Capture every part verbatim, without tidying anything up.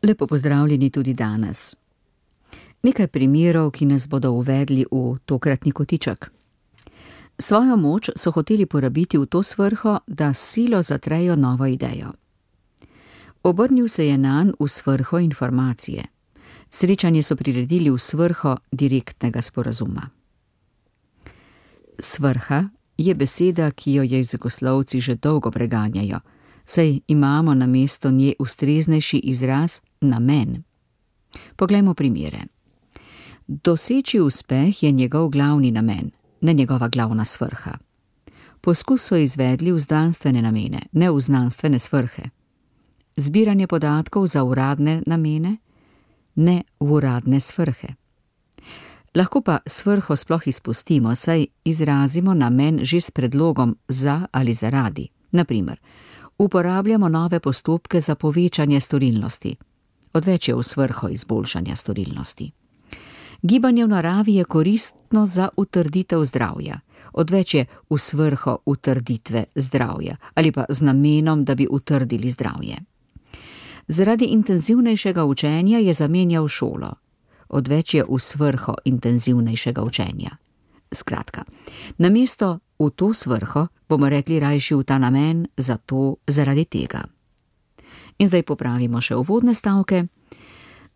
Lepo pozdravljeni tudi danes. Nekaj primerov, ki nas bodo uvedli v tokratni kotiček. Svojo moč so hoteli porabiti v to svrho, da s silo zatrejo novo idejo. Obrnil se je nanj v svrho informacije. Srečanje so priredili v svrho direktnega sporazuma. Svrha je beseda, ki jo jezikoslovci že dolgo preganjajo, saj imamo namesto nje ustreznejši izraz namen. Poglejmo primere. Doseči uspeh je njegov glavni namen, ne njegova glavna svrha. Poskus so izvedli v znanstvene namene, ne v znanstvene svrhe. Zbiranje podatkov za uradne namene, ne v uradne svrhe. Lahko pa svrho sploh izpustimo, saj izrazimo namen že s predlogom za ali zaradi. Na primer, uporabljamo nove postopke za povečanje storilnosti. Odveč je v svrho izboljšanja storilnosti. Gibanje v naravi je koristno za utrditev zdravja. Odveč je v svrho utrditve zdravja ali pa z namenom, da bi utrdili zdravje. Zaradi intenzivnejšega učenja je zamenjal šolo. Odveč je v svrho intenzivnejšega učenja. Skratka, namesto v to svrho bomo rekli rajši v ta namen, zato, zaradi tega. In zdaj popravimo še uvodne stavke.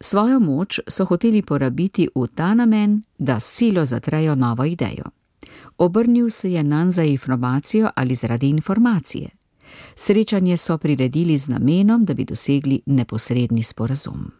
Svojo moč so hoteli porabiti v ta namen, da s silo zatrejo novo idejo. Obrnil se je nanj za informacijo ali zaradi informacije. Srečanje so priredili z namenom, da bi dosegli neposredni sporazum.